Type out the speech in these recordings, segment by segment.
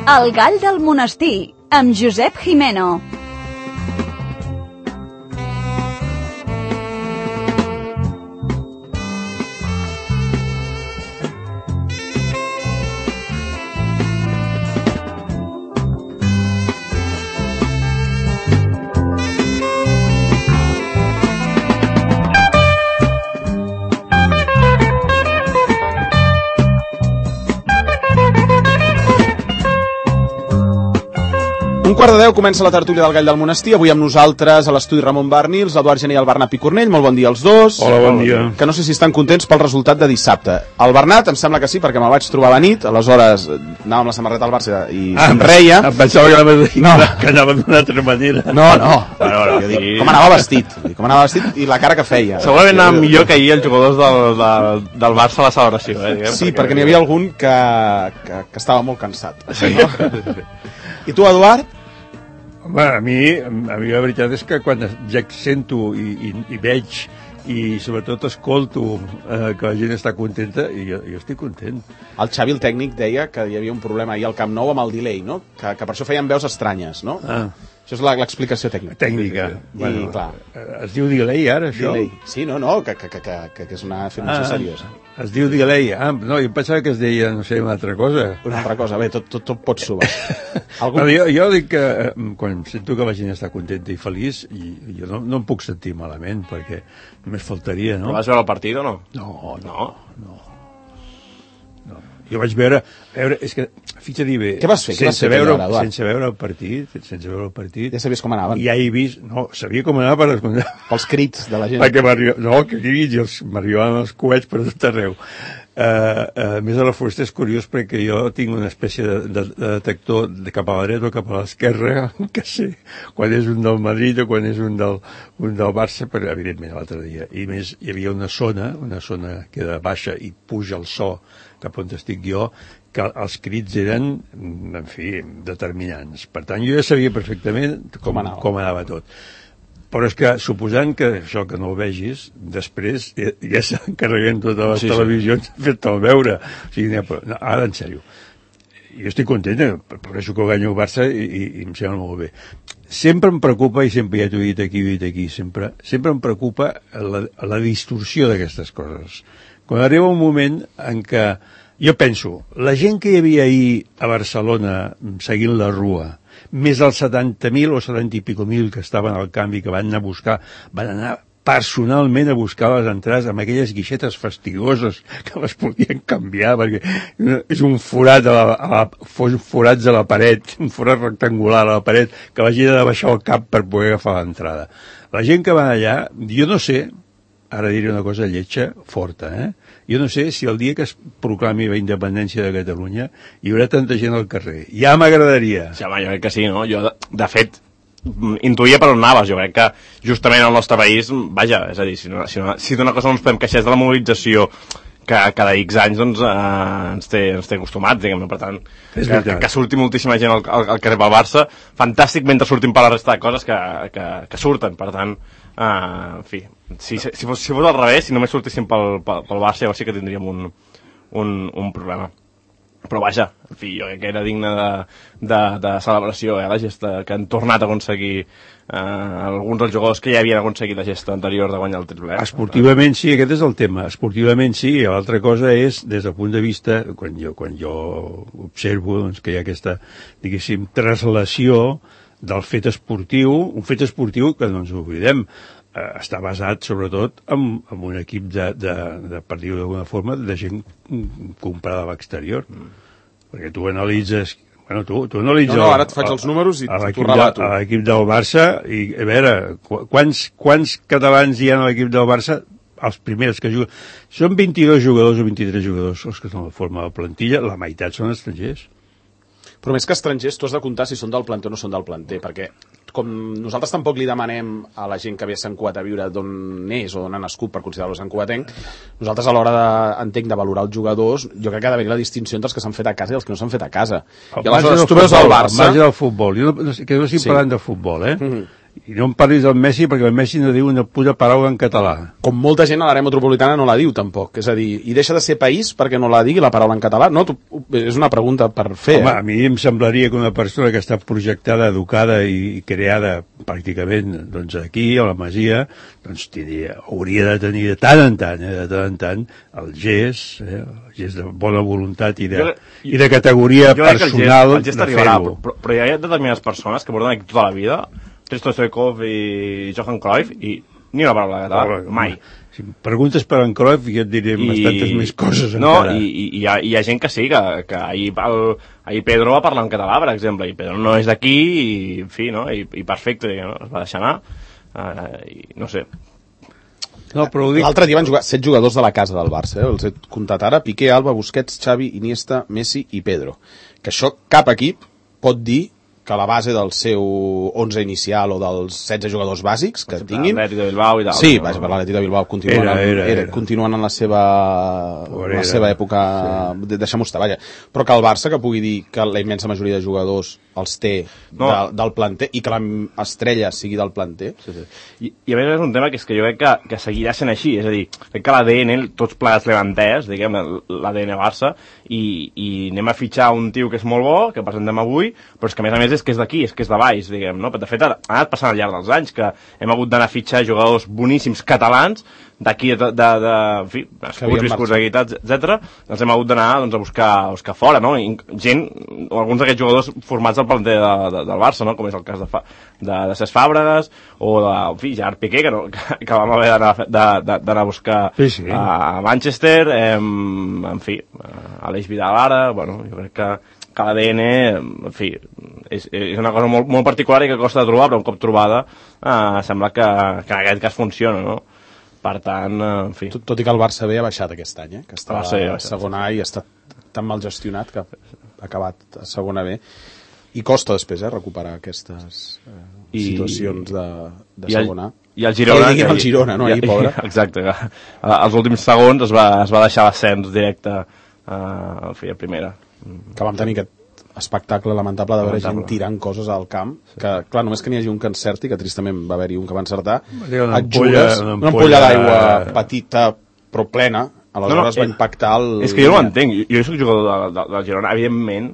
El gall del monestir, amb Josep Jimeno. Un quart de 10 comença la tertúlia del Gall del Monestir. Avui amb nosaltres a l'estudi Ramon Barnils, l'Eduard Gené i el Bernat Picornell. Molt bon dia als dos. Hola, bon dia. Que no sé si estan contents pel resultat de dissabte. El Bernat em sembla que sí, perquè me'l vaig trobar a la nit. Aleshores anava amb la samarreta al Barça i somreia. Em pensava que anava d'una altra manera. No. Jo dic, com anava vestit i la cara que feia. Segurament anava millor que ahir els jugadors del Barça a la celebració. Sí, perquè n'hi havia algun que estava molt cansat. Sí. No? I tu, Eduard? Home, a mi la veritat és que quan ja sento i veig i sobretot escolto que la gent està contenta, i jo estic content. El Xavi, el tècnic, deia que hi havia un problema ahir al Camp Nou amb el delay, no? Que per això feien veus estranyes, no? Això és l'explicació tècnica. Tècnica. Bueno, clar. Es diu delay ara, això? Delay. Sí, no, que és una afirmació seriosa. Es diu delay. No, jo pensava que es deia, no sé, una altra cosa. Una altra cosa, bé, tot pot subar. Jo dic que quan sento que la gent està contenta i feliç, jo no em puc sentir malament, perquè només faltaria, no? Però vas veure el partit o no? No. Jo vaig veure, és que, fixa-t'hi bé... Què vas fer? Sense veure el partit... Ja sabies com anaven? Ja he vist... No, sabia com anava pels crits de la gent. Perquè que crits, m'arribaven els coets per tot arreu. A més, a la Fusta és curiós perquè jo tinc una espècie de detector cap a la dreta o cap a l'esquerra, que sé quan és un del Madrid o quan és un del Barça, però evidentment l'altre dia. I més, hi havia una zona que de baixa i puja el so cap on estic jo, que els crits eren, en fi, determinants. Per tant, jo ja sabia perfectament com anava tot. Però és que, suposant que això que no ho vegis, després ja s'encarreguen totes les televisions de fer-te'l veure. O sigui, ara, en sèrio, jo estic content, per això que guanyo el Barça i em sembla molt bé. Sempre em preocupa, i sempre ja t'ho he dit aquí, sempre em preocupa la distorsió d'aquestes coses. Quan arriba un moment en què jo penso, la gent que hi havia ahir a Barcelona seguint la Rua, més els 70.000 o 70 i pico mil que estaven al camp i que van anar personalment a buscar les entrades amb aquelles guixetes fastigoses que les podien canviar, perquè és un forat forats a la paret, un forat rectangular a la paret, que la gent ha de baixar el cap per poder agafar l'entrada. La gent que va allà, jo no sé, ara diré una cosa lletja, forta, jo no sé si el dia que es proclami la independència de Catalunya hi haurà tanta gent al carrer. Ja m'agradaria. Sí, home, jo crec que sí, no? Jo, de fet, intuïa per on anaves. Jo crec que justament al nostre país, vaja, és a dir, si d'una cosa no ens podem queixar és de la mobilització que cada X anys doncs, ens té acostumats, diguem-ne, per tant, que surti moltíssima gent al carrer pel Barça, fantàstic, mentre surtin per la resta de coses que surten, per tant, en fi, si fos al revés, si només sortissin pel Barça, llavors sí que tindríem un problema. Però vaja, en fi, jo crec que era digne de celebració, la gesta que han tornat a aconseguir alguns dels jugadors que ja havien aconseguit la gesta anterior de guanyar el triple. Esportivament sí, aquest és el tema. Esportivament sí, i l'altra cosa és, des del punt de vista, quan jo observo doncs, que hi ha aquesta, diguéssim, traslació del fet esportiu, un fet esportiu que no ens oblidem, està basat sobretot en un equip per dir-ho d'alguna forma, de gent comprada a l'exterior. Perquè tu analitzes... Tu analitzes... No, ara et faig els números i t'ho relato. A l'equip del Barça, i a veure, quants catalans hi ha a l'equip del Barça? Els primers que juguen... Són 22 jugadors o 23 jugadors els que són la forma de la plantilla, la meitat són estrangers. Però més que estrangers, tu has de comptar si són del planter o no són del planter, perquè com nosaltres tampoc li demanem a la gent que ve a Sant Cugat a viure d'on és o d'on ha nascut per considerar-lo Sant Cugatenc, nosaltres a l'hora de valorar els jugadors, jo crec que ha d'haver la distinció entre els que s'han fet a casa i els que no s'han fet a casa. I aleshores tu veus el Barça... Al marge del futbol, que no estic parlant de futbol, I no em parlis del Messi perquè el Messi no diu una puta paraula en català. Com molta gent a l'àrea metropolitana no la diu, tampoc. És a dir, i deixa de ser país perquè no la digui la paraula en català? No, és una pregunta per fer. Home, a mi em semblaria que una persona que està projectada, educada i creada pràcticament doncs, aquí, a la Masia, doncs hauria de tenir de tant en tant, el gest de bona voluntat i de categoria personal el gest de arribarà, fer-ho. però hi ha determinades persones que porten aquí tota la vida, Risto Stoichkov i Johan Cruyff, i ni una paraula de català, mai. Si em preguntes per en Cruyff, jo et diré bastantes més coses encara. I hi ha gent que sí, que ahir Pedro va parlar en català, per exemple, i Pedro no és d'aquí, i en fi, no? I perfecte, no? Es va deixar anar, i no sé. No, però ho dic... L'altre dia van jugar 7 jugadors de la casa del Barça, els he comptat ara: Piqué, Alba, Busquets, Xavi, Iniesta, Messi i Pedro. Que això cap equip pot dir que la base del seu 11 inicial o dels 16 jugadors bàsics que tinguin... L'Atlètic de Bilbao i tal. Sí, vaja, per l'Atlètic de Bilbao continuen en la seva època, sí. Deixem-ho estar, vaja. Però que el Barça, que pugui dir que la immensa majoria de jugadors els té del planter i que l'estrella sigui del planter. Sí. I a més és un tema que és que jo crec que seguirà sent així, és a dir, crec que l'ADN, tots plegats l'hem entès, diguem, l'ADN Barça, i anem a fitxar un tio que és molt bo, que presentem avui, però és que a més és que és d'aquí, és que és de baix, diguem, no? De fet, ha anat passant al llarg dels anys que hem hagut d'anar a fitxar jugadors boníssims catalans d'aquí, en fi, viscuts aquí, etc. Ens hem hagut d'anar doncs, a buscar fora, no? Gent, o alguns d'aquests jugadors formats al planter del Barça, no? Com és el cas de Cesc Fàbregas, o de, en fi, Gerard Piqué, que vam haver d'anar a buscar a Manchester, en fi, Aleix Vidal ara, bueno, jo crec que l'ADN, en fi, és una cosa molt, molt particular i que costa de trobar, però un cop trobada sembla que en aquest cas funciona, no? Per tant, en fi... Tot i que el Barça B ha baixat aquest any, que està a segona A i ha estat tan mal gestionat que ha acabat a segona B. I costa després recuperar aquestes situacions de segona A. I el Girona... el Girona, no? Ahir, pobre. Exacte. Els últims segons es va deixar l'ascens directe a primera. Que vam tenir aquest espectacle lamentable de veure gent tirant coses al camp, que clar, només que n'hi hagi un que encerti, que tristament va haver-hi un que va encertar, una ampolla d'aigua petita però plena, aleshores va impactar el... És que jo no ho entenc, jo soc jugador del Girona, evidentment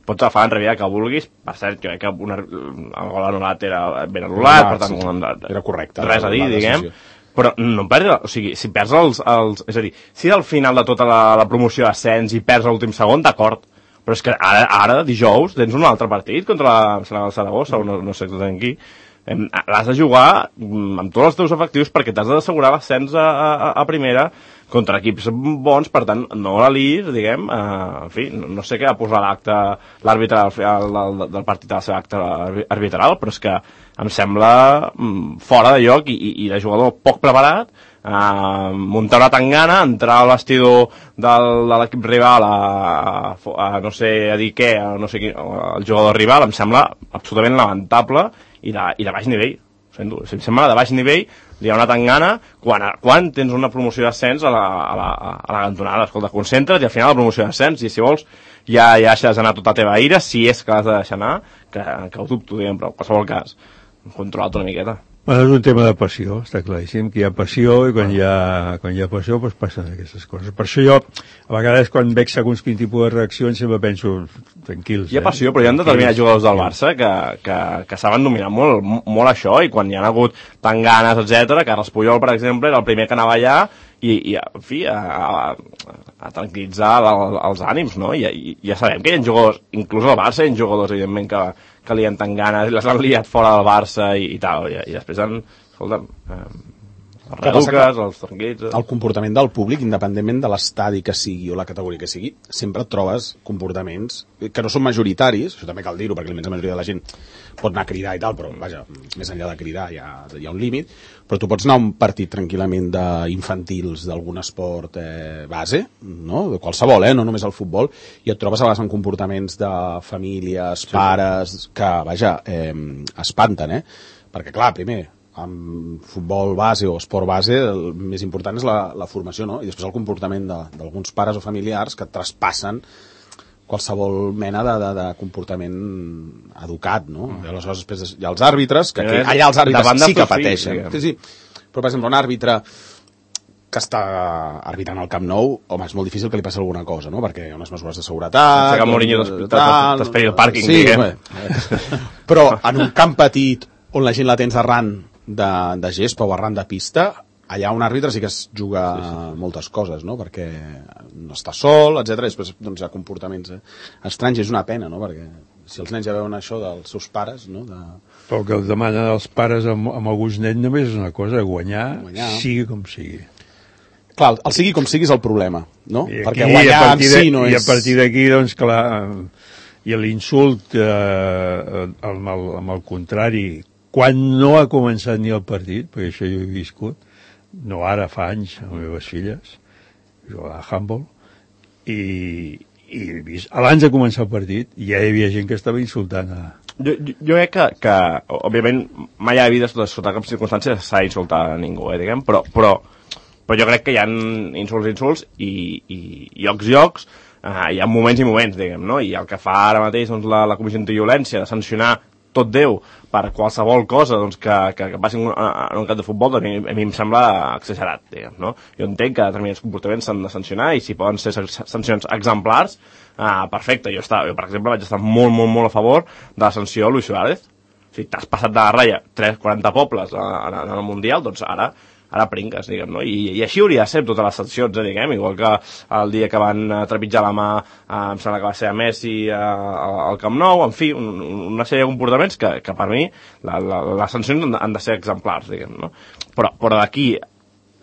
pots agafar l'enrevida que vulguis, per cert, que el gol anul·lat era ben anul·lat, per tant, era correcte, res a dir, diguem, però no perds, o sigui, si perds els... És a dir, si al final de tota la promoció d'ascens i perds l'últim segon, d'acord, però és que ara, dijous, tens un altre partit contra el Saragossa, o no sé exactament qui, l'has de jugar amb tots els teus efectius perquè t'has d'assegurar l'ascens a primera contra equips bons, per tant, no la lis, diguem, en fi, no sé què va posar l'àrbitre del partit a la seva acte arbitral, però és que em sembla fora de lloc i de jugador poc preparat, muntar una tangana, entrar al vestidor de l'equip rival a no sé a dir què, a no sé qui, el jugador rival, em sembla absolutament lamentable i de baix nivell. Em sembla de baix nivell, li ha una tangana quan tens una promoció d'ascens a la cantonada. Escolta, concentra't i al final la promoció d'ascens, i si vols ja deixes anar tota la teva ira, si és que l'has de deixar anar, que ho dubto, diguem, però en qualsevol cas controlat una miqueta. Bueno, és un tema de passió, està claríssim, que hi ha passió i quan hi ha passió doncs passen aquestes coses. Per això jo, a vegades quan veig segons quin tipus de reaccions sempre penso, tranquils. Hi ha passió, però hi ha determinats jugadors del Barça que saben dominar molt això, i quan hi ha hagut tan ganes, etc. Carles Puyol, per exemple, era el primer que anava allà i en fi, a tranquil·litzar els ànims, no? I ja sabem que hi ha jugadors, inclús al Barça hi ha jugadors, evidentment, que li han tan ganes, les han liat fora del Barça i tal, i després escolta'm, els reduques, els tranquils... El comportament del públic, independentment de l'estadi que sigui o la categoria que sigui, sempre et trobes comportaments que no són majoritaris, això també cal dir-ho, perquè la immensa majoria de la gent pot anar a cridar i tal, però vaja, més enllà de cridar hi ha un límit, però tu pots anar a un partit tranquil·lament d'infantils d'algun esport base, no? De qualsevol, no només el futbol, i et trobes a vegades en comportaments de famílies, pares, que, vaja, espanten, perquè clar, primer, amb futbol base o esport base, el més important és la formació, no? I després el comportament d'alguns pares o familiars que traspassen qualsevol mena de comportament educat, no? I aleshores després hi ha els àrbitres, que allà els àrbitres sí que pateixen. Sí. Però, per exemple, un àrbitre que està arbitrant al Camp Nou, home, és molt difícil que li passi alguna cosa, no? Perquè hi ha unes mesures de seguretat... Que Mourinho t'esperi el pàrquing, diguem. Però en un camp petit on la gent la tens arran de gespa o arran de pista, allà un àrbitre sí que es juga moltes coses, no? Perquè no està sol, etc. Després doncs, hi ha comportaments estranys, és una pena, no? Perquè si els nens ja veuen això dels seus pares, no? Però el que demanen els pares amb alguns nens només és una cosa, guanyar, sigui com sigui. Clar, el sigui com sigui és el problema, no? Aquí, perquè guanyar en si no és... I a partir d'aquí, doncs, clar, i l'insult amb el contrari, quan no ha començat ni el partit, perquè això jo he viscut, no ara, fa anys, amb les meves filles, jugava a handball, i he vist, abans de començar el partit, ja hi havia gent que estava insultant a... Jo crec que òbviament, mai a la vida, sota cap circumstància, s'ha d'insultar a ningú, diguem, però jo crec que hi ha insults i llocs, hi ha moments i moments, diguem, no? I el que fa ara mateix doncs, la Comissió Antiviolència de sancionar tot Déu per qualsevol cosa doncs, que passi en un camp de futbol, a mi em sembla exagerat, diguem, no? Jo entenc que determinats comportaments s'han de sancionar i si poden ser sancions exemplars, perfecte. Jo, per exemple, vaig estar molt, molt, molt a favor de la sanció a Luis Suárez. O sigui, t'has passat de la ratlla 40 pobles en el Mundial, doncs ara pringues, diguem, no? I així hauria de ser totes les sancions, diguem, igual que el dia que van trepitjar la mà, em sembla que va ser a Messi al Camp Nou, en fi, una sèrie de comportaments que per mi les sancions han de ser exemplars, diguem, no? Però d'aquí,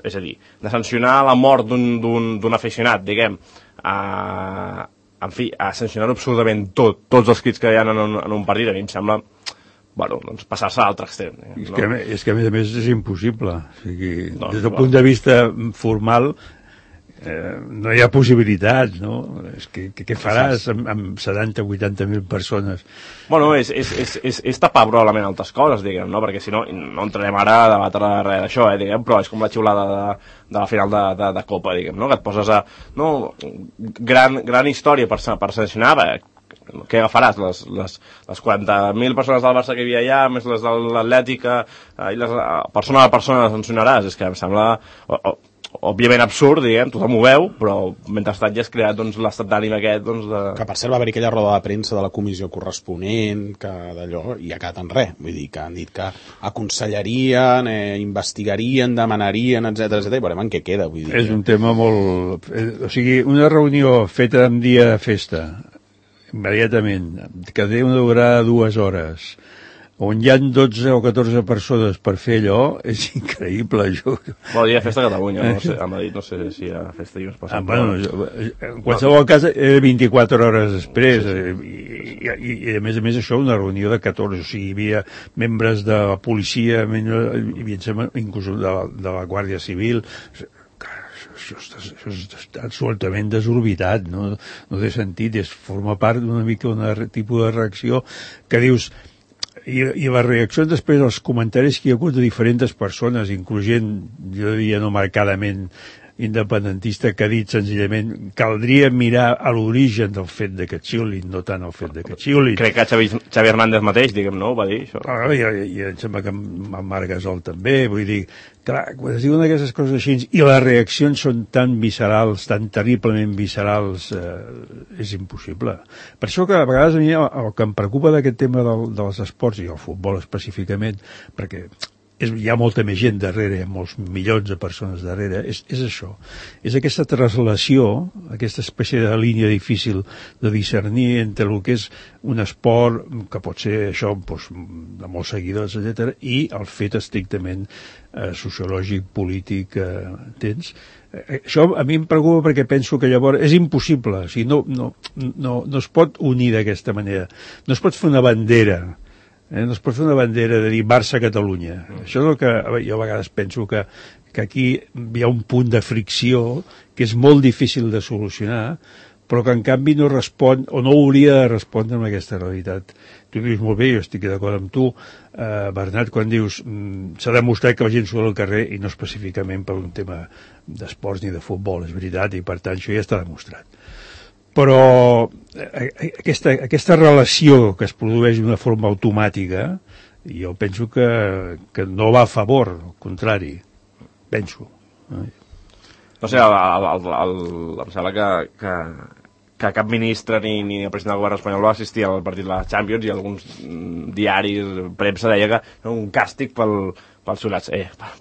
és a dir, de sancionar la mort d'un aficionat, diguem, en fi, a sancionar absolutament tots els crits que hi ha en un partit, a mi em sembla... Bueno, doncs passar-se a l'altre extrem. És que a més és impossible. O sigui, des del punt de vista formal no hi ha possibilitats, no? És que què faràs amb 70-80.000 persones? Bueno, és tapar probablement altres coses, diguem, no? Perquè si no entrarem ara a debatre res d'això, diguem, però és com la xiulada de la final de Copa, diguem, no? Que et poses a... No, gran història per sancionar, què agafaràs? Les 40.000 persones del Barça que hi havia allà, més les de l'Atlètica, i les persona a persona les sancionaràs? És que em sembla, òbviament absurd, diguem, tothom ho veu, però mentrestant ja has creat doncs, l'estat d'ànim aquest... Doncs, Que per cert va haver-hi aquella roda de premsa de la comissió corresponent, que d'allò, i ha quedat en res. Vull dir que han dit que aconsellarien, investigarien, demanarien, etc. i veurem en què queda. Vull dir, és un tema molt... O sigui, una reunió feta en dia de festa, immediatament, que té una durada de 2 hores, on hi ha 12 o 14 persones per fer allò, és increïble. Bon, hi ha festa a Catalunya, no sé, a Madrid no sé si hi ha festa i uns passant. Bueno, en qualsevol cas, era 24 hores després, i a més això, una reunió de 14, o sigui, hi havia membres de la policia, hi havia inclús de la Guàrdia Civil. Això és absolutament desorbitat, no té sentit, forma part d'una mica un tipus de reacció que dius, i les reaccions després dels comentaris que hi ha hagut de diferents persones, incloent, jo diria no marcadament independentista, que ha dit senzillament caldria mirar a l'origen del fet de que xiulin, no tant el fet de que xiulin. Crec que Xavi Hernández mateix, diguem, no? Va dir això. I em sembla que en Marc Gasol també, vull dir, clar, quan es diuen aquestes coses així i les reaccions són tan viscerals, tan terriblement viscerals, és impossible. Per això que a vegades a mi el que em preocupa d'aquest tema dels esports, i el futbol específicament, perquè hi ha molta més gent darrere, molts milions de persones darrere, és això. És aquesta translació, aquesta espècie de línia difícil de discernir entre el que és un esport, que pot ser això, doncs, de molts seguidors, etc., i el fet estrictament sociològic, polític, tens. Això a mi em preocupa perquè penso que llavors és impossible, o sigui, no es pot unir d'aquesta manera, no es pot fer una bandera, no es pot fer una bandera de dir Barça-Catalunya. Això és el que jo a vegades penso que aquí hi ha un punt de fricció que és molt difícil de solucionar, però que en canvi no respon o no hauria de respondre amb aquesta realitat. Tu dius molt bé, jo estic d'acord amb tu, Bernat, quan dius s'ha demostrat que la gent surt al carrer i no específicament per un tema d'esports ni de futbol, és veritat, i per tant això ja està demostrat. Però aquesta relació que es produeix d'una forma automàtica, jo penso que no va a favor, al contrari, penso. No sé, em sembla que cap ministre ni el president del govern espanyol va assistir al partit de la Champions i alguns diaris, premsa, deia que era un càstig pels solats.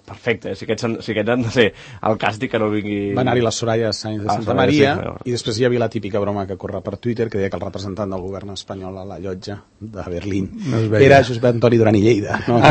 Perfecte, si aquests han de ser el càstig, que no vingui... Va anar-hi la Soraya Sáenz de Santa Maria, i després hi havia la típica broma que corre per Twitter, que deia que el representant del govern espanyol a la llotja de Berlín era Josep Antoni Duran i Lleida. No? Em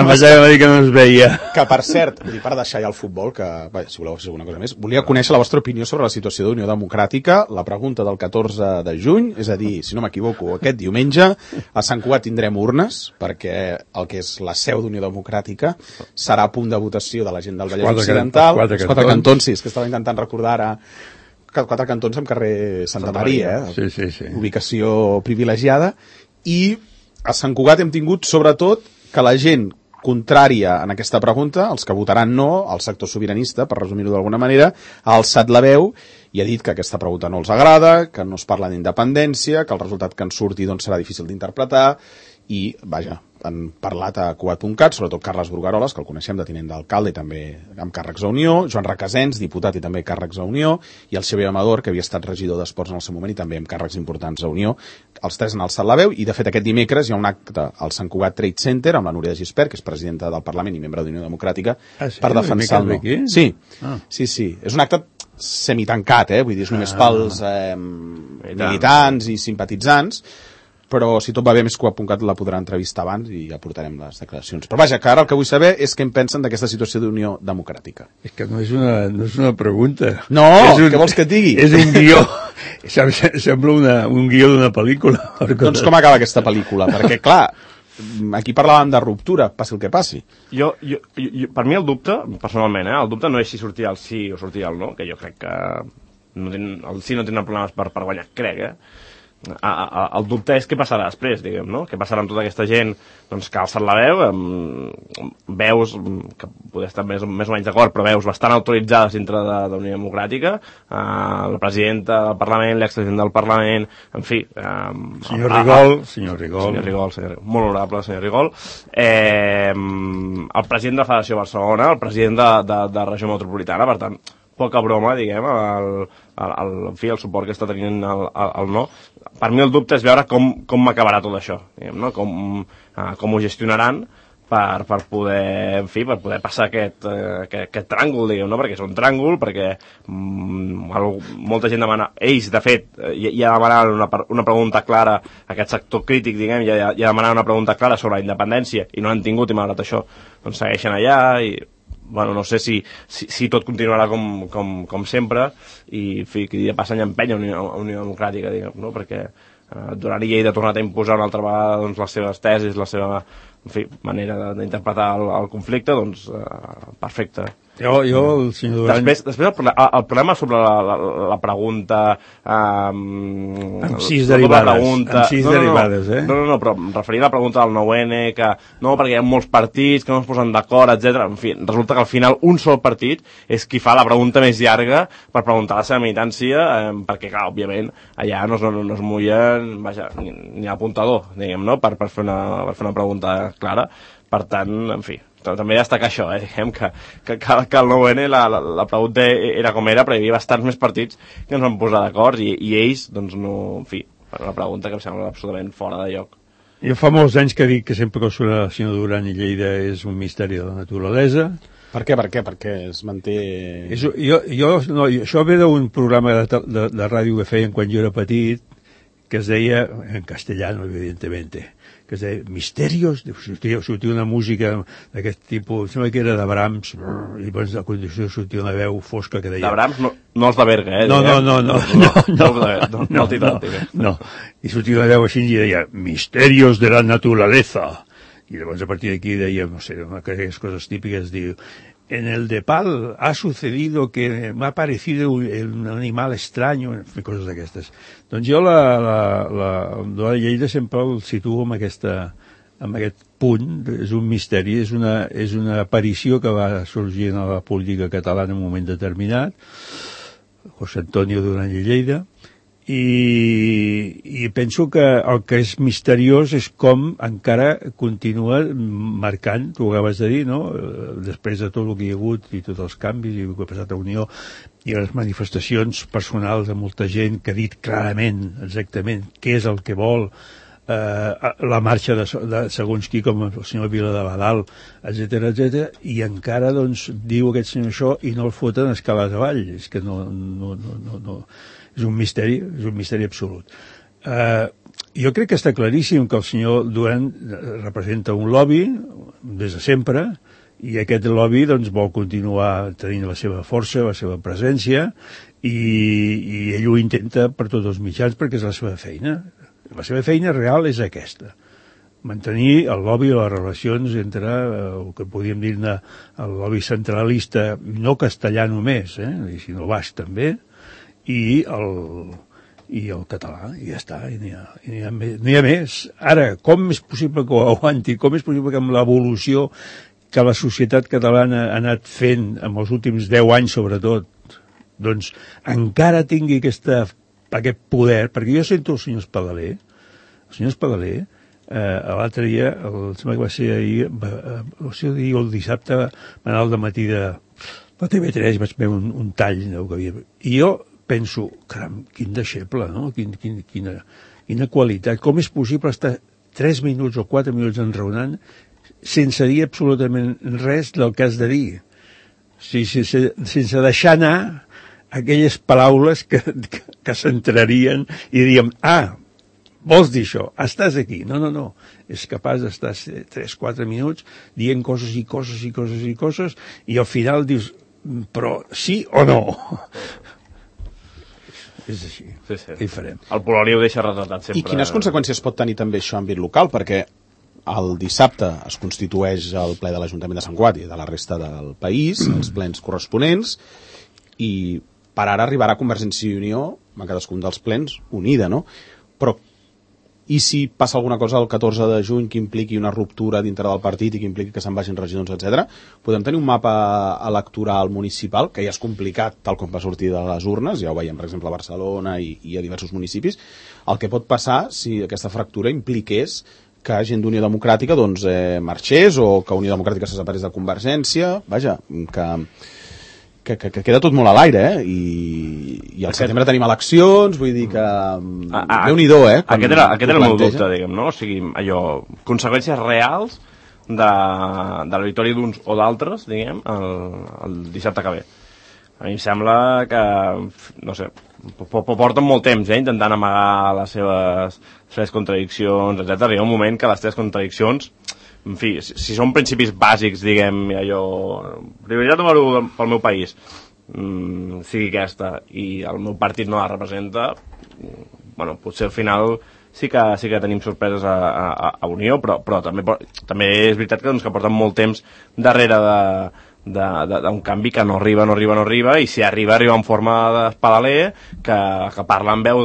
pensava que dir que no es veia. Que, per cert, per deixar ja el futbol, que, si voleu fer alguna cosa més, volia conèixer la vostra opinió sobre la situació d'Unió Democràtica, la pregunta del 14 de juny, és a dir, si no m'equivoco, aquest diumenge, a Sant Cugat tindrem urnes, perquè el que és la seu d'Unió Democràtica serà a punt de votació de la gent del Vallès Occidental. Els quatre cantons, sí, és que estava intentant recordar ara, 4 cantons amb carrer Santa Maria, sí. Ubicació privilegiada, i a Sant Cugat hem tingut sobretot que la gent contrària en aquesta pregunta, els que votaran no, el sector sobiranista, per resumir-ho d'alguna manera, ha alçat la veu i ha dit que aquesta pregunta no els agrada, que no es parla d'independència, que el resultat que en surti doncs, serà difícil d'interpretar, i, vaja, han parlat a Cugat.cat, sobretot Carles Brugueroles, que el coneixem de tinent d'alcalde i també amb càrrecs a Unió, Joan Requesens, diputat i també càrrecs a Unió, i el Xavier Amador, que havia estat regidor d'Esports en el seu moment i també amb càrrecs importants a Unió. Els tres han alçat la veu i, de fet, aquest dimecres hi ha un acte al Sant Cugat Trade Center amb la Núria de Gispert, que és presidenta del Parlament i membre d'Unió Democràtica, per defensar el no. Sí. És un acte semitancat, vull dir, és només pels militants i simpatitzants, però si tot va bé, més Cugat.cat la podrà entrevistar abans i ja portarem les declaracions. Però vaja, que ara el que vull saber és què en pensen d'aquesta situació d'Unió Democràtica. És que no és una pregunta. No, què vols que et digui? És un guió. Sembla un guió d'una pel·lícula. Doncs com acaba aquesta pel·lícula? Perquè, clar, aquí parlàvem de ruptura, passi el que passi. Per mi el dubte, personalment, el dubte no és si sortia el sí o sortia el no, que jo crec que el sí no tindrà problemes per guanyar, crec, el dubte és què passarà després, diguem, no? Què passarà amb tota aquesta gent doncs, que ha alçat la veu, veus que poder estar més o menys d'acord, però veus bastant autoritzades dintre de la Unió Democràtica, la presidenta del Parlament, l'expresident del Parlament, en fi... Senyor Rigol, molt honorable senyor Rigol, el president de la Federació de Barcelona, el president de Regió Metropolitana, per tant, poca broma, diguem, el suport que està tenint el no. Per mi el dubte és veure com acabarà tot això, diguem, no? Com ho gestionaran per poder, en fi, per poder passar aquest tràngol, diguem, no? Perquè és un tràngol, perquè molta gent demana, ells, de fet, ja demanaven una pregunta clara, aquest sector crític, diguem, ja demanaven una pregunta clara sobre la independència, i no l'han tingut, i malgrat això, doncs segueixen allà, i bueno, no sé si tot continuarà com sempre i en fi, que dia passa i empenya Unió Democràtica, diguem, no? Perquè Duran i Lleida ha tornat a imposar una altra vegada doncs, les seves tesis, la seva manera d'interpretar el conflicte, doncs perfecte. Jo el senyor Duran... Després el problema sobre la pregunta... amb sis derivades, No, però referint a la pregunta del 9N, que no, perquè hi ha molts partits que no es posen d'acord, etc. En fi, resulta que al final un sol partit és qui fa la pregunta més llarga per preguntar la seva militància, perquè, clar, òbviament, allà no es mullen, vaja, ni l'apuntador, diguem, no?, per fer una pregunta clara. Per tant, en fi, també destacar això, diguem, que el 9N la pregunta era com era, però hi havia bastants més partits que ens van posar d'acord i ells, doncs no, en fi, una pregunta que em sembla absolutament fora de lloc. Jo fa molts anys que dic que sempre que surt el senyor Duran i Lleida és un misteri de la naturalesa. Per què? Perquè es manté... Això ve d'un programa de ràdio que feien quan jo era petit, que es deia, en castellano, evidentemente, que es deia Misterios, sortia una música d'aquest tipus, sembla que era de Brahms, i llavors a continuació sortia una veu fosca que deia... De Brahms no els de Berga, No, i sortia una veu així i deia Misterios de la naturaleza, i llavors a partir d'aquí deia, no sé, aquelles coses típiques, diu... En el de Pal ha sucedido que m'ha aparecido un animal extraño, coses d'aquestes. Doncs jo la Lleida sempre el situo amb aquest punt, és un misteri, és una aparició que va sorgir en la política catalana en un moment determinat. José Antonio Duran i Lleida, i penso que el que és misteriós és com encara continua marcant, tu ho acabes de dir, no? Després de tot el que hi ha hagut i tots els canvis i el que ha passat a Unió i les manifestacions personals de molta gent que ha dit clarament, exactament, què és el que vol, la marxa de segons qui, com el senyor Vila de Badal, etc, i encara doncs diu aquest senyor això i no el foten escales avall. És que no. És un misteri absolut. Jo crec que està claríssim que el senyor Duran representa un lobby des de sempre, i aquest lobby doncs, vol continuar tenint la seva força, la seva presència, i ell ho intenta per tots els mitjans perquè és la seva feina. La seva feina real és aquesta, mantenir el lobby o les relacions entre el que podríem dir-ne el lobby centralista, no castellà només, sinó basc també, i el català, i ja està, i no hi ha més. Ara, com és possible que ho aguanti, com és possible que amb l'evolució que la societat catalana ha anat fent en els últims 10 anys sobretot, doncs encara tingui aquest poder, perquè jo sento el senyor Espadaler, l'altre dia, sembla que va ser ahir, el dissabte, va anar al dematí de la TV3, vaig veure un tall, i jo penso, caram, quin deixeble, no? Quina qualitat. Com és possible estar 3 minuts o 4 minuts enraonant sense dir absolutament res del que has de dir? Sense deixar anar aquelles paraules que s'entrarien i diríem, vols dir això? Estàs aquí. No. És capaç d'estar 3-4 minuts dient coses i coses i al final dius, però sí o no? És així. Sí. Què hi farem? El Polònia ho deixa retratat sempre. I quines conseqüències pot tenir també això en àmbit local? Perquè el dissabte es constitueix el ple de l'Ajuntament de Sant Cugat i de la resta del país, els plens corresponents, i per ara arribarà Convergència i Unió, en cadascun dels plens, unida, no? Però i si passa alguna cosa el 14 de juny que impliqui una ruptura dintre del partit i que impliqui que se'n vagin regidors, etc., podem tenir un mapa electoral municipal, que ja és complicat tal com va sortir de les urnes, ja ho veiem per exemple a Barcelona i a diversos municipis. El que pot passar si aquesta fractura impliqués que gent d'Unió Democràtica doncs, marxés, o que Unió Democràtica se separés de Convergència, vaja, que queda tot molt a l'aire, i al setembre tenim eleccions, vull dir que Déu-n'hi-do, Aquest era el meu dubte, diguem, no? O sigui, allò, conseqüències reals de la victòria d'uns o d'altres, diguem, el dissabte que ve. A mi em sembla que, no sé, porten molt temps, intentant amagar les seves contradiccions, etc. Hi ha un moment que les teves contradiccions, en fi, si són principis bàsics, diguem, allò, prioritat número 1 pel meu país, sigui aquesta, i el meu partit no la representa, bueno, potser al final sí que tenim sorpreses a Unió, però també és veritat que porten molt temps darrere d'un canvi que no arriba, i si arriba en forma d'Espadaler, que parla en veu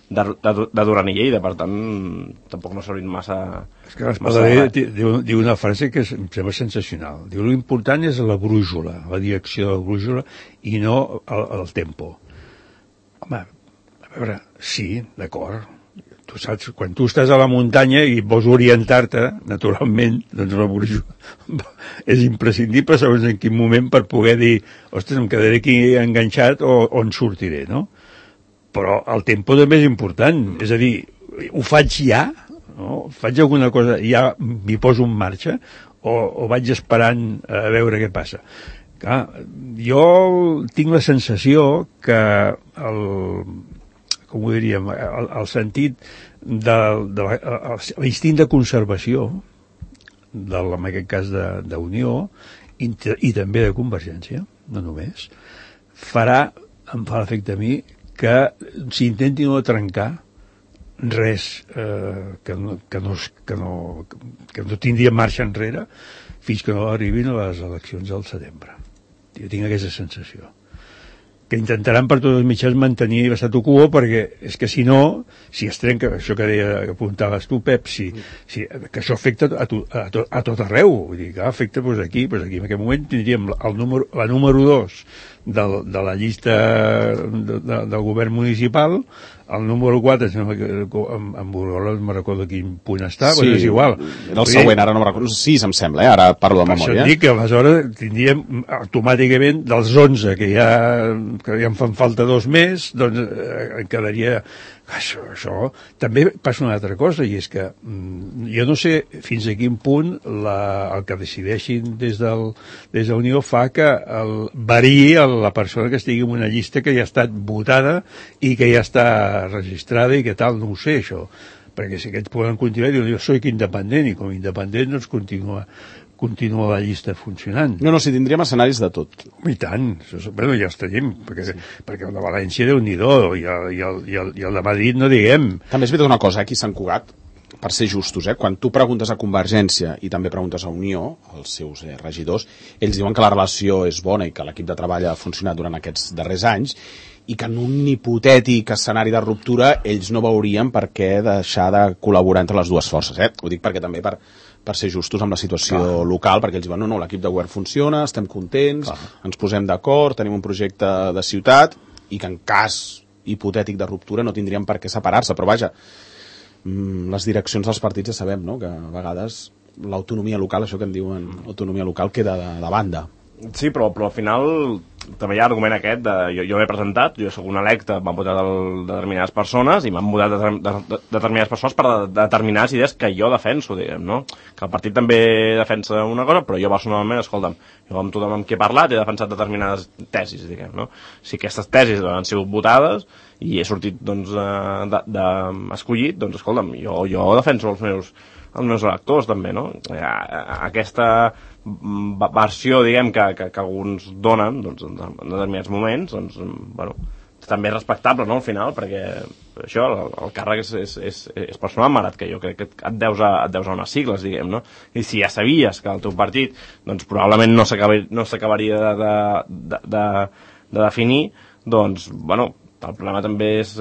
de Duran i Lleida, per tant tampoc no s'ha servit massa. És que l'Espadaler diu una frase que em sembla sensacional, diu, l'important és la brújula, la direcció de la brújula, i no el tempo. Home, a veure, sí, d'acord, tu saps, quan tu estàs a la muntanya i vols orientar-te, naturalment, doncs la brújula és imprescindible segons en quin moment per poder dir, ostres, em quedaré aquí enganxat o en sortiré, no? Però el tempo també és important, és a dir, ho faig ja, no? Faig alguna cosa, ja m'hi poso en marxa, o vaig esperant a veure què passa. Clar, jo tinc la sensació que com ho diríem, el sentit l'instint de conservació, en aquest cas d'Unió, i també de Convergència, no només, em fa l'efecte a mi, que s'intenti no trencar res que no tindria marxa enrere fins que no arribin a les eleccions del setembre. Jo tinc aquesta sensació. Que intentaran per tots els mitjans mantenir l'statu quo, perquè és que si no, si es trenca, això que apuntaves tu, Pep, que això afecta a tot arreu, vull dir, que afecta aquí, en aquest moment tindríem la número 2 de la llista del govern municipal. El número 4, amb Borgola no me'n recordo quin punt està, sí, però és igual. Era el següent, ara no me'n recordo. 6, em sembla, ara parlo de memòria. Això dic que aleshores tindríem automàticament dels 11, que ja em fan falta 2 més, doncs en quedaria... Això també passa una altra cosa, i és que jo no sé fins a quin punt el que decideixin des de Unió fa que variï la persona que estigui en una llista que ja ha estat votada i que ja està registrada i que tal, no ho sé això, perquè si aquests poden continuar i diuen jo soc independent, i com a independent doncs continua la llista funcionant. No, si tindríem escenaris de tot. I tant, bueno, ja els tenim, perquè el de València Déu-n'hi-do, i el de Madrid no diguem. També és veritat una cosa, aquí a Sant Cugat, per ser justos, quan tu preguntes a Convergència i també preguntes a Unió, els seus regidors, ells diuen que la relació és bona i que l'equip de treball ha funcionat durant aquests darrers anys, i que en un hipotètic escenari de ruptura ells no veurien per què deixar de col·laborar entre les dues forces. Ho dic perquè també per ser justos amb la situació local, perquè ells diuen no, l'equip de govern funciona, estem contents, ens posem d'acord, tenim un projecte de ciutat, i que en cas hipotètic de ruptura no tindrien per què separar-se, però vaja, les direccions dels partits ja sabem, no?, que a vegades l'autonomia local, això que en diuen autonomia local, queda de banda. Sí, però al final també hi ha l'argument aquest de jo m'he presentat, jo soc un electe, m'han votat determinades persones i m'han votat determinades persones per determinades idees que jo defenso, diguem, no? Que el partit també defensa una cosa, però jo personalment, escolta'm, jo amb tothom amb qui he parlat he defensat determinades tesis, diguem, no? Si aquestes tesis han sigut votades i he sortit, doncs, escollit, doncs, escolta'm, jo defenso els meus electors, també, no? Aquesta versió, diguem, que alguns donen, doncs, en determinats moments, doncs, bueno, també és respectable, no?, al final, perquè això, el càrrec és personal, malgrat que jo crec que et deus a unes sigles, diguem, no? I si ja sabies que el teu partit, doncs, probablement no s'acabaria de definir, doncs, bueno, el problema també és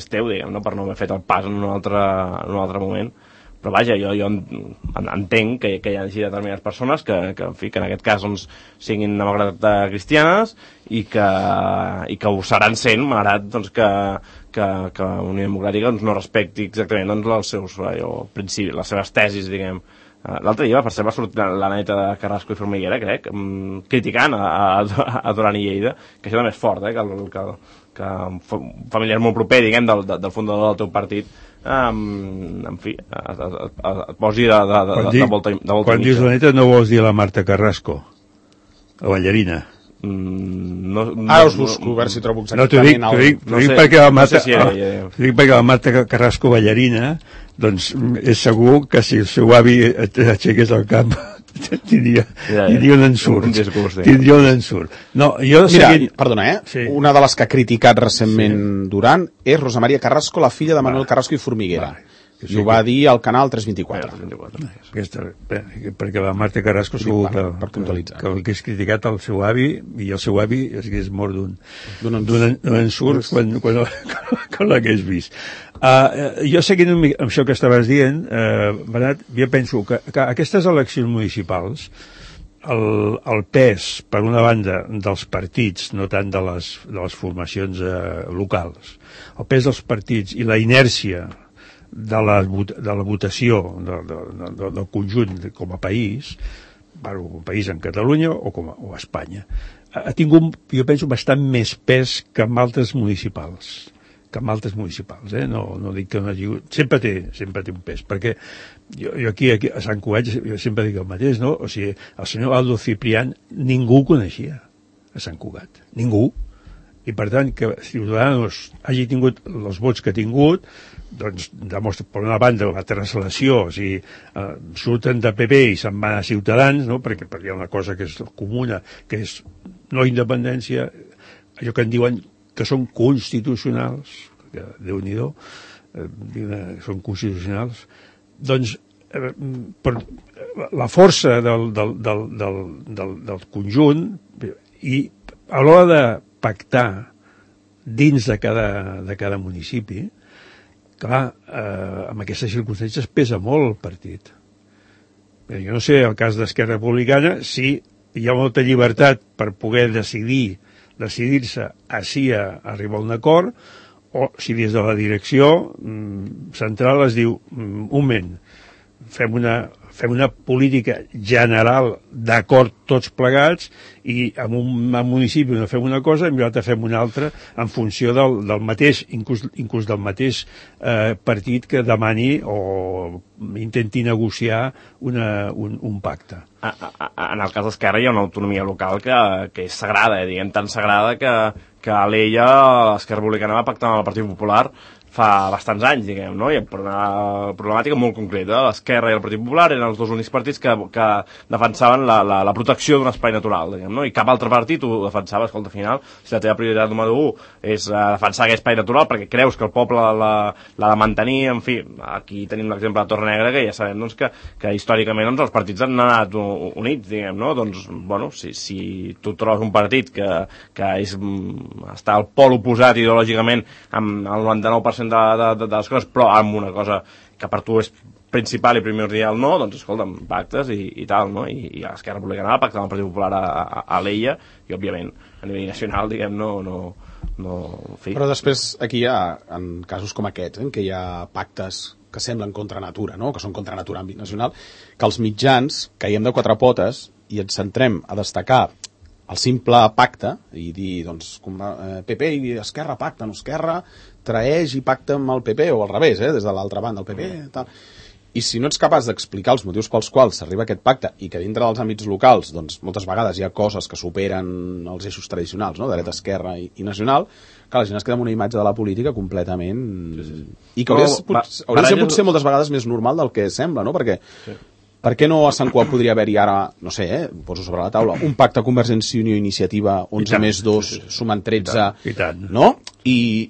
teu, diguem, no?, per no haver fet el pas en un altre moment. Però vaja, jo entenc que hi hagi determinades persones que en fi, que en aquest cas doncs, siguin demòcrates cristianes i que ho seran sent, malgrat doncs, que Unió Democràtica doncs, no respecti exactament doncs, els seus principis, les seves tesis, diguem. L'altre dia, per cert, va sortir la neta de Carrasco i Formiguera, crec, criticant a Duran i Lleida, que això també és fort, que un familiar molt proper, diguem, del fundador del teu partit, en fi, et posi de volta quan dius la neta no vols dir la Marta Carrasco, la ballarina? Ara us busco, a veure si trobo exactament t'ho dic perquè la Marta Carrasco ballarina, doncs és segur que si el seu avi aixequés el cap tindria un ensurt. No, jo perdona, sí. Una de les que ha criticat recentment Duran és Rosa Maria Carrasco, la filla de Manuel Carrasco i Formiguera. I ho va dir al canal 324. Perquè la Marta Carrasco segur que hagués criticat el seu avi i el seu avi hagués mort d'un ensurt quan l'hagués vist. Jo seguint amb això que estaves dient, Bernat, jo penso que aquestes eleccions municipals, el pes, per una banda, dels partits, no tant de les formacions locals, el pes dels partits i la inèrcia de la votació del conjunt com a país, un país en Catalunya o a Espanya, ha tingut, jo penso, bastant més pes que en altres municipals. No dic que no hagi... Sempre té un pes, perquè jo aquí a Sant Cugat jo sempre dic el mateix, no? O sigui, el senyor Aldo Ciprián ningú ho coneixia a Sant Cugat, ningú. I per tant que Ciudadanos hagi tingut els vots que ha tingut, doncs demostra, per una banda, la translació, o sigui, surten de PP i se'n van a Ciutadans, no? perquè hi ha una cosa que és comuna, que és no independència, allò que en diuen que són constitucionals, que Déu-n'hi-do, són constitucionals, doncs per la força del conjunt i a l'hora de pactar dins de cada municipi, clar, amb aquestes circumstàncies pesa molt el partit. Jo no sé, el cas d'Esquerra Republicana, sí, hi ha molta llibertat per poder decidir decidir-se així a arribar a un acord, o si des de la direcció central es diu, un moment, fem una política general d'acord tots plegats i en un municipi no fem una cosa i en l'altre fem una altra en funció del mateix, inclús del mateix partit que demani o intenti negociar un pacte. En el cas d'Esquerra hi ha una autonomia local que és sagrada, diguem, tan sagrada que a l'Ella l'Esquerra Republicana va pactar amb el Partit Popular fa bastants anys, diguem, no? I per una problemàtica molt concreta. L'Esquerra i el Partit Popular eren els dos únics partits que defensaven la protecció d'un espai natural, diguem, no? I cap altre partit ho defensava. Escolta, al final, si la teva prioritat número 1 és defensar aquest espai natural perquè creus que el poble l'ha de mantenir, en fi, aquí tenim l'exemple de Torrenegra, que ja sabem doncs, que històricament doncs, els partits han anat units, diguem, no? Doncs, bueno, si tu trobes un partit que està al pol oposat ideològicament amb el 99% de les coses, però amb una cosa que per tu és principal i primordial no, doncs escolta'm, pactes i tal, no? I l'Esquerra Republicana va pactar amb el Partit Popular a l'Ella i, òbviament, a nivell nacional, diguem, no, en fi. Però després aquí hi ha, en casos com aquests, en què hi ha pactes que semblen contra natura, no? Que són contra natura en àmbit nacional, que els mitjans caiem de quatre potes i ens centrem a destacar el simple pacte i dir, doncs, PP i Esquerra pacten, Esquerra traeix i pacta amb el PP, o al revés, des de l'altra banda, el PP, tal. I si no ets capaç d'explicar els motius pels quals s'arriba a aquest pacte i que dintre dels àmbits locals, doncs, moltes vegades hi ha coses que superen els eixos tradicionals, no?, de dreta, esquerra i nacional, que la gent es queda amb una imatge de la política completament... I que hauria de ser potser moltes vegades més normal del que sembla, no?, perquè... Sí. Per què no a Sant Cugat podria haver-hi ara, no sé, poso sobre la taula, un pacte Convergència i Unió Iniciativa 11 més 2 sumen 13, I tant. No? I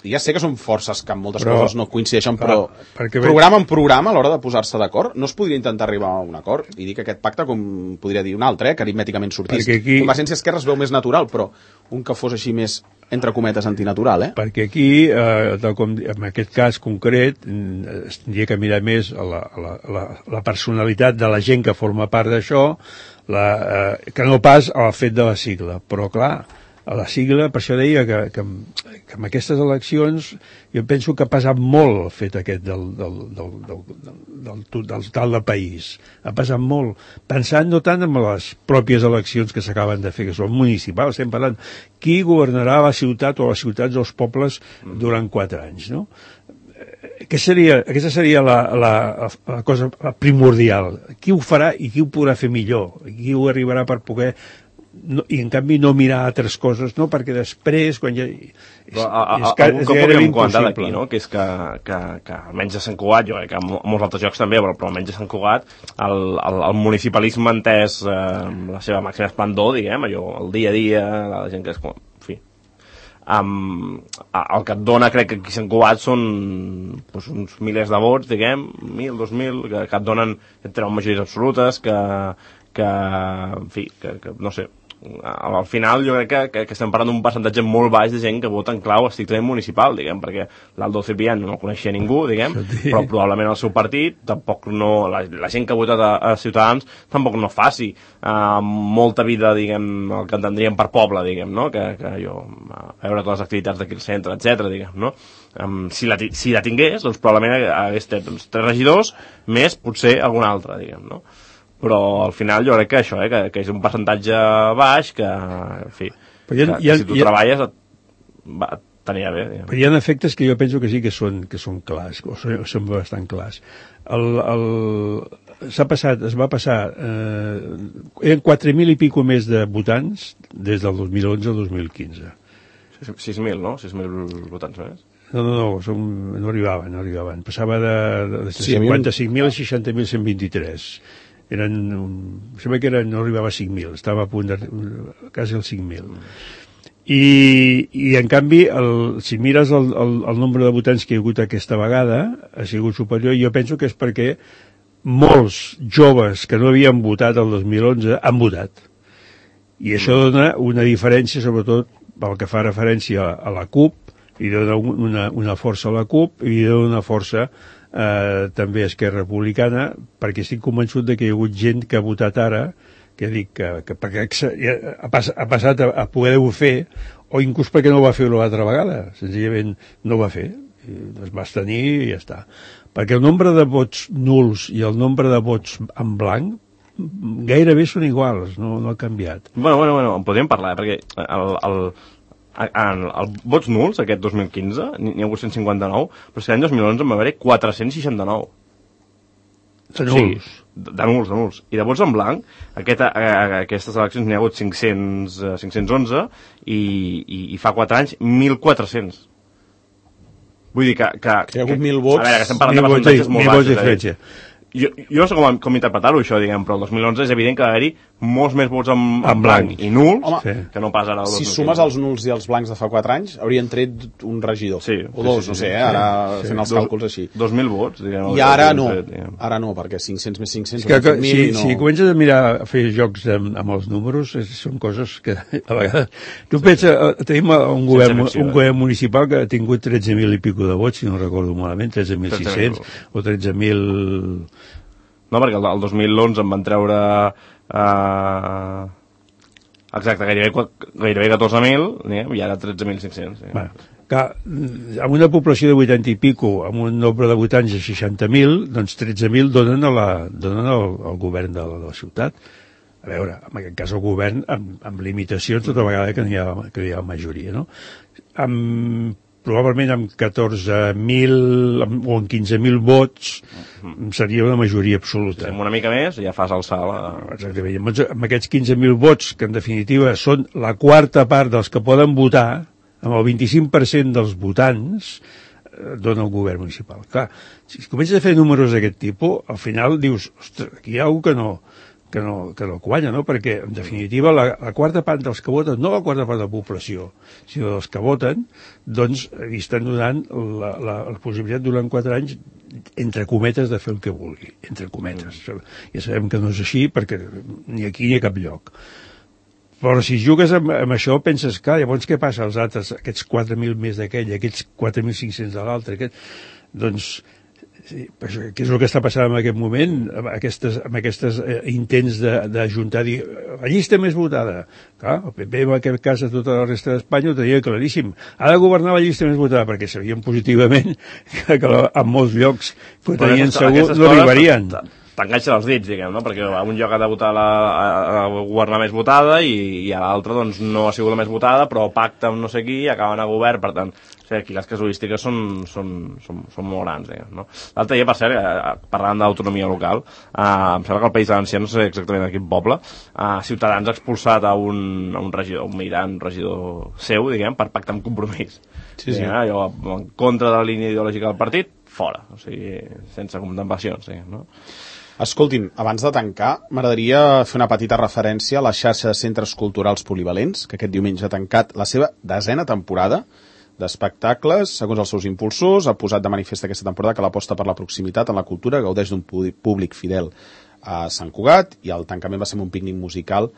ja sé que són forces que en moltes coses no coincideixen, però programa en programa a l'hora de posar-se d'acord, no es podria intentar arribar a un acord i dir que aquest pacte, com podria dir un altre, que aritmèticament sortís. Convergència Esquerra es veu més natural, però un que fos així més, entre cometes, antinatural, Perquè aquí, en aquest cas concret, es tindria que mirar més la personalitat de la gent que forma part d'això, que no pas al fet de la sigla. Però, clar, a la sigla, per això deia que en aquestes eleccions jo penso que ha pesat molt el fet aquest del total del país. Ha pesat molt. Pensant no tant en les pròpies eleccions que s'acaben de fer, que són municipals, estem parlant qui governarà la ciutat o les ciutats dels pobles durant 4 anys, no? Aquesta seria la cosa primordial. Qui ho farà i qui ho podrà fer millor? Qui ho arribarà per poder... No, i en canvi no mirar altres coses, no? Perquè després quan ja... Algun que podríem comentar d'aquí, no? Que és que almenys a Sant Cugat, jo que a molts altres llocs també, però almenys a Sant Cugat el municipalisme entès la seva màxima esplendor, diguem, allò, el dia a dia, la gent que és com... En fi. El que et dona, crec que aquí a Sant Cugat són doncs, uns milers de vots, diguem, 1.000, 2.000, que et donen, et treuen majories absolutes, que en fi, que no sé, al final jo crec que estem parlant d'un percentatge molt baix de gent que vota en clau estrictament municipal, diguem, perquè l'Aldo Ciprián no el coneixia ningú, diguem, però probablement el seu partit tampoc no, la gent que ha votat a Ciutadans tampoc no faci molta vida, diguem, el que entendríem per poble, diguem, no? Que jo, a veure totes les activitats d'aquí al centre, etc, diguem, no? Si la tingués, doncs probablement hagués tret 3 regidors més potser algun altre, diguem, no? Però al final jo crec que això, que és un percentatge baix, que, en fi, que si tu treballes t'anirà bé. Però hi ha efectes que jo penso que sí que són clars, o són bastant clars. Es va passar, eren 4.000 i pico més de votants des del 2011 al 2015. 6.000, no? 6.000 votants més? No arribaven. Passava de 55.000 a 60.123. Sembla que no arribava a 5.000, estava a punt quasi als 5.000. I en canvi, si mires el nombre de votants que hi ha hagut aquesta vegada, ha sigut superior, i jo penso que és perquè molts joves que no havien votat el 2011 han votat. I això dona una diferència, sobretot pel que fa referència a la CUP, i dona una força a la CUP, i dona una força també a Esquerra Republicana, perquè estic convençut que hi ha hagut gent que ha votat ara que dic que perquè ha passat a poder-ho fer, o inclús perquè no ho va fer una altra vegada, senzillament no ho va fer, es va abstenir i ja està. Perquè el nombre de vots nuls i el nombre de vots en blanc gairebé són iguals, no ha canviat. Bueno, en podríem parlar, perquè el vots nuls, aquest 2015, n'hi ha hagut 159, però és que l'any 2011 en va haver-hi 469. De nuls. De nuls. I de vots en blanc, aquestes eleccions n'hi ha hagut 511 i fa 4 anys 1.400. Vull dir que hi ha hagut 1.000 vots. A veure, que estem parlant de percentatges molt baixos. Diferència. Jo no sé com interpretar-ho, això, diguem, però el 2011 és evident que va haver-hi molts més vots en blanc i nuls, que no pas ara el 2015. Si sumes els nuls i els blancs de fa 4 anys, haurien tret un regidor. Sí, o dos, no sé, ara fent els càlculs així. 2.000 vots, diguem. I ara no. Ara no, perquè 500 més 500... Si comences a mirar, a fer jocs amb els números, són coses que a vegades... Tu pensa, tenim un govern municipal que ha tingut 13.000 i pico de vots, si no recordo malament, 13.600 o 13.000... No, perquè el 2011 en van treure exacte, gairebé 14.000 i ara 13.500. Bueno, amb una població de 80 i pico, amb un nombre de votants de 60.000, doncs 13.000 donen al govern de la ciutat. A veure, en aquest cas el govern amb limitacions tota vegada que hi ha majoria, no? Probablement amb 14.000 o amb 15.000 vots seria una majoria absoluta. Amb una mica més ja fas alçar la... Exactament. Amb aquests 15.000 vots, que en definitiva són la quarta part dels que poden votar, amb el 25% dels votants, dona el govern municipal. Clar, si comences a fer números d'aquest tipus, al final dius, ostres, aquí hi ha algú que no quanya, no? Perquè, en definitiva, la quarta part dels que voten, no la quarta part de la població, sinó dels que voten, doncs li estan donant la possibilitat durant 4 anys, entre cometes, de fer el que vulgui, entre cometes. Ja sabem que no és així, perquè ni aquí ni a cap lloc. Però si jugues amb això, penses, clar, llavors què passa als altres, aquests 4.000 més d'aquell, aquests 4.500 de l'altre, doncs... Sí, què és el que està passant en aquest moment, amb aquests intents d'ajuntar, dir, la llista més votada. Clar, el PP en aquest cas a tota la resta d'Espanya ho tenia claríssim. Ha de governar la llista més votada, perquè sabien positivament que en molts llocs que tenien segur no arribarien. T'enganxen els dits, diguem, no? Perquè a un lloc ha de votar a governar més votada i a l'altre doncs, no ha sigut la més votada, però pacta amb no sé qui i acaben a govern, per tant, o sigui, aquí les casuístiques són molt grans, diguem, no? L'altre dia, per cert, parlant d'autonomia local, em sembla que el País Valencià, no sé exactament de quin poble, Ciutadans ha expulsat a un regidor, un militant, un regidor seu, diguem, per pactar amb Compromís. Sí. Allò, en contra de la línia ideològica del partit, fora, o sigui, sense contemplacions, diguem, no? Escoltin, abans de tancar, m'agradaria fer una petita referència a la xarxa de centres culturals polivalents, que aquest diumenge ha tancat la seva 10ª temporada d'espectacles, segons els seus impulsors, ha posat de manifest aquesta temporada que l'aposta per la proximitat en la cultura gaudeix d'un públic fidel a Sant Cugat, i el tancament va ser un pícnic musical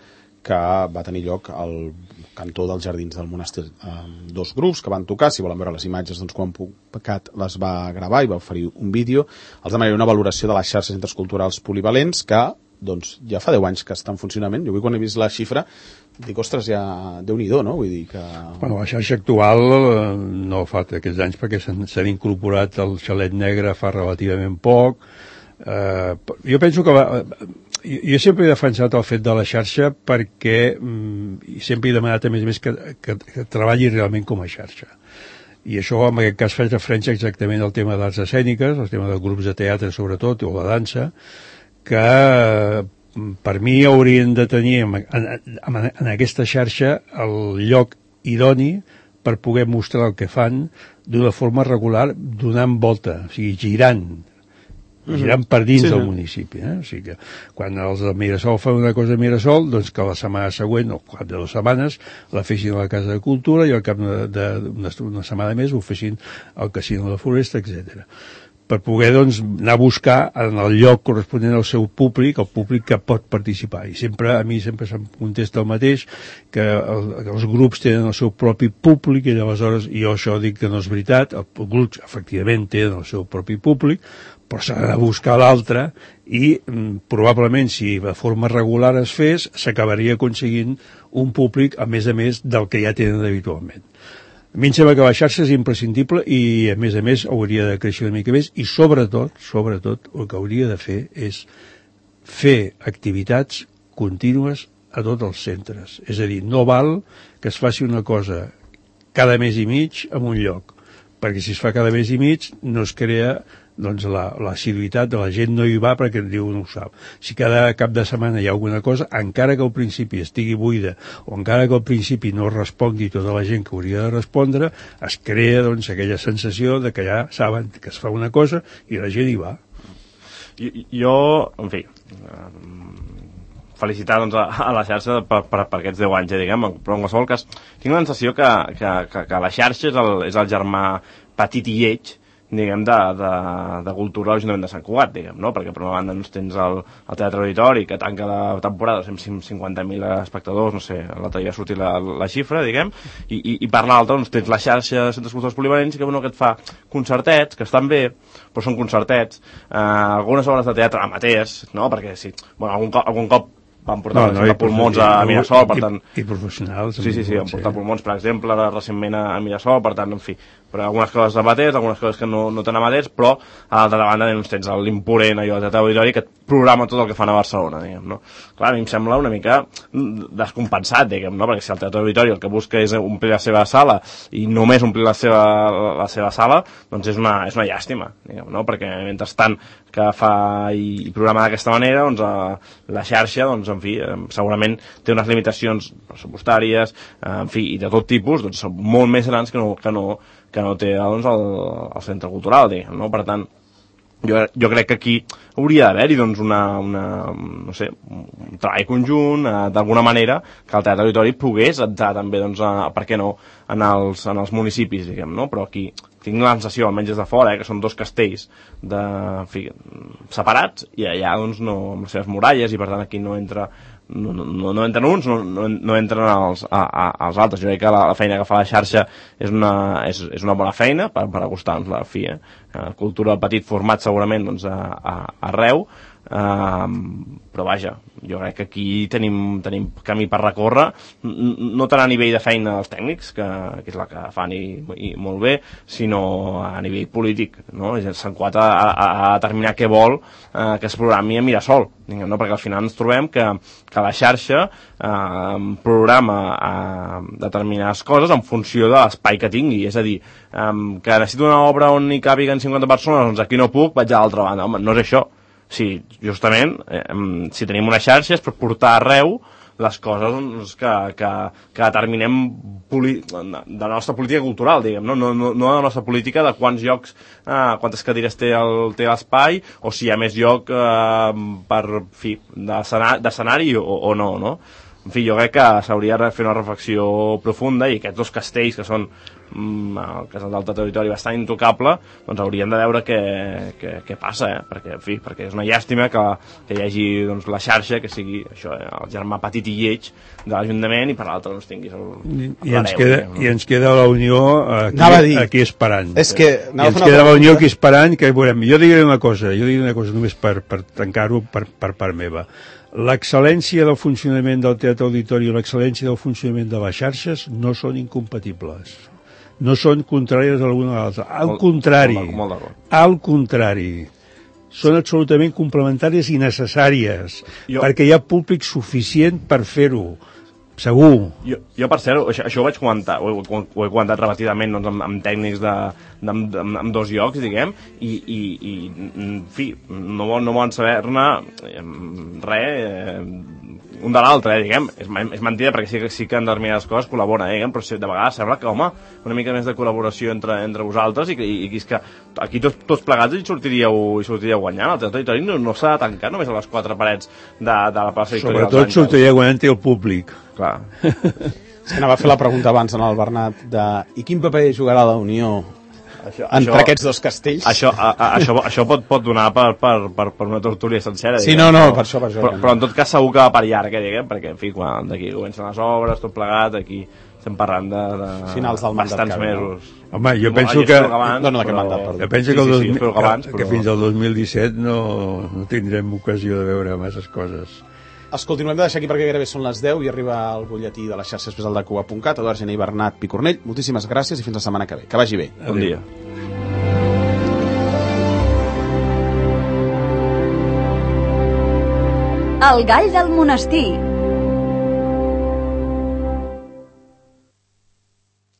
que va tenir lloc al cantó dels Jardins del Monestir. 2 grups que van tocar, si volen veure les imatges, doncs quan Pucat les va gravar i va oferir un vídeo. Els demanaré una valoració de les xarxes de centres culturals polivalents que doncs, ja fa 10 anys que està en funcionament. Jo avui quan he vist la xifra dic, ostres, ja Déu-n'hi-do, no? Vull dir que... Bueno, la xarxa actual no fa aquests anys perquè s'han incorporat el Xalet Negre fa relativament poc. Jo penso que jo sempre he defensat el fet de la xarxa perquè sempre he demanat a més que treballi realment com a xarxa, i això en aquest cas faig referència exactament al tema d'arts escèniques, al tema de grups de teatre sobretot, o la dansa, que per mi haurien de tenir en aquesta xarxa el lloc idoni per poder mostrar el que fan d'una forma regular, donant volta, o sigui, girant per dins del municipi. O sigui que quan els de Mirasol fan una cosa a Mirasol, doncs que la setmana següent, o cap de 2 setmanes, la fessin a la Casa de Cultura i al cap d'una setmana més ho fessin al Casino de la Floresta, etc. per poder doncs, anar a buscar en el lloc corresponent al seu públic, el públic que pot participar. I sempre, a mi sempre se'm contesta el mateix, que els grups tenen el seu propi públic, i aleshores jo això dic que no és veritat, els grups efectivament tenen el seu propi públic, però s'ha de buscar l'altre i probablement si de forma regular es fes, s'acabaria aconseguint un públic a més del que ja tenen habitualment. A mi em sembla que la xarxa és imprescindible i, a més, hauria de créixer una mica més i, sobretot, el que hauria de fer és fer activitats contínues a tots els centres. És a dir, no val que es faci una cosa cada mes i mig en un lloc, perquè si es fa cada mes i mig no es crea doncs l'assiduïtat de la gent no hi va perquè diu no ho sap. Si cada cap de setmana hi ha alguna cosa, encara que al principi estigui buida o encara que al principi no respongui tota la gent que hauria de respondre, es crea doncs aquella sensació de que ja saben que es fa una cosa i la gent hi va. Jo, en fi, felicitar doncs, a la xarxa per aquests 10 anys, diguem, però en qualsevol cas tinc la sensació que la xarxa és el germà petit i lleig, diguem, de cultura a l'Ajuntament de Sant Cugat, diguem, no? Perquè per una banda doncs, tens el Teatre Auditori, que tanca la temporada, 150.000 espectadors, no sé, l'altre dia ha sortit la xifra, diguem, i per l'altra doncs, tens la xarxa de centres culturals polivalents que et fa concertets, que estan bé, però són concertets, algunes obres de teatre amateurs, no? Perquè sí, bueno, algun cop van portar pulmons a Mirasol, per tant... I professionals. Sí, han portat pulmons, per exemple, recentment a Mirasol, per tant, en fi, però algunes coses amateurs, algunes coses que no tan amateurs, però a l'altra banda doncs, tens l'imponent allò de Teatre Auditori que et programa tot el que fan a Barcelona, diguem, no? Clar, a mi em sembla una mica descompensat, diguem, no? Perquè si el Teatre Auditori el que busca és omplir la seva sala i només omplir la seva sala, doncs és una llàstima, diguem, no? Perquè mentrestant que fa i programa d'aquesta manera, doncs la xarxa, doncs, en fi, segurament té unes limitacions pressupostàries, en fi, i de tot tipus, doncs són molt més grans que no té doncs, el centre cultural, diguem, no? Per tant, jo crec que aquí hauria d'haver-hi doncs, no sé, un treball conjunt, d'alguna manera, que el Teatre Auditori pogués entrar també, doncs, per què no, en els municipis, diguem, no? Però aquí tinc la sensació, almenys des de fora, que són dos castells en fi, separats, i allà doncs, no, amb les seves muralles, i per tant aquí no entren uns, no entren els altres. Jo crec que la feina que fa la xarxa és una bona feina per acostar-nos la fi, cultura de petit format segurament doncs, arreu, però vaja, jo crec que aquí tenim camí per recórrer, no tant a nivell de feina dels tècnics, que és la que fan i molt bé, sinó a nivell polític, no? Sant Cugat ha de determinar què vol que es programi a Mirasol, no? Perquè al final ens trobem que la xarxa programa determinades coses en funció de l'espai que tingui, és a dir, que necessito una obra on hi càpiguen 50 persones, doncs aquí no puc, vaig a l'altra banda. Home, no és això. Sí, justament, si tenim una xarxa és per portar arreu les coses doncs, que determinem de la nostra política cultural, diguem, no de la nostra política de quants llocs, quantes cadires té l'espai, o si hi ha més lloc d'escenari o no, no? En fi, jo crec que s'hauria de fer una reflexió profunda i aquests dos castells que són el casal del territori bastant intocable, doncs hauríem de veure què passa, perquè és una llàstima que hi hagi doncs, la xarxa que sigui això, el germà petit i lleig de l'Ajuntament i per l'altre doncs tinguis I ens queda la Unió aquí esperant. Ens queda la Unió aquí esperant, que veurem. Jo diré una cosa només per tancar-ho per part meva. L'excel·lència del funcionament del Teatre Auditori i l'excel·lència del funcionament de les xarxes no són incompatibles. No són contràries a l'una a l'altra. Al contrari. Són absolutament complementàries i necessàries, perquè hi ha públic suficient per fer-ho. Segur. Jo per cert, això ho vaig comentar, ho he comentat repetidament doncs, amb tècnics amb dos llocs, diguem, i en fi, no volen saber-ne res un de l'altre, diguem. És mentida perquè sí que en determinades coses col·laboren, diguem, però de vegades sembla que, home, una mica més de col·laboració entre vosaltres i és que aquí tots plegats hi sortiríeu guanyant. El territori no s'ha de tancar només a les quatre parets de la plaça Victòria. Sobretot sortiria guanyant el públic. Clar. És que anava a fer la pregunta abans en el Bernat i quin paper jugarà la Unió entre aquests dos castells. Això pot donar per una tertúlia sencera. Sí, diguem, no, per això. Però en tot cas segur que va per llarga, diguem, perquè, en fi, quan d'aquí comencen les obres, tot plegat, aquí estem parlant de finals del mandat bastants mesos. Home, jo penso que... d'aquest mandat, perdó. Jo penso que fins al 2017 no tindrem ocasió de veure masses coses. Escolti, no hem de deixar aquí perquè gairebé són les 10 i arriba el butlletí de les xarxes especial de Cuba.cat. Eduard Gené i Bernat Picornell, moltíssimes gràcies i fins la setmana que ve. Que vagi bé. Bon dia. El gall del monestir.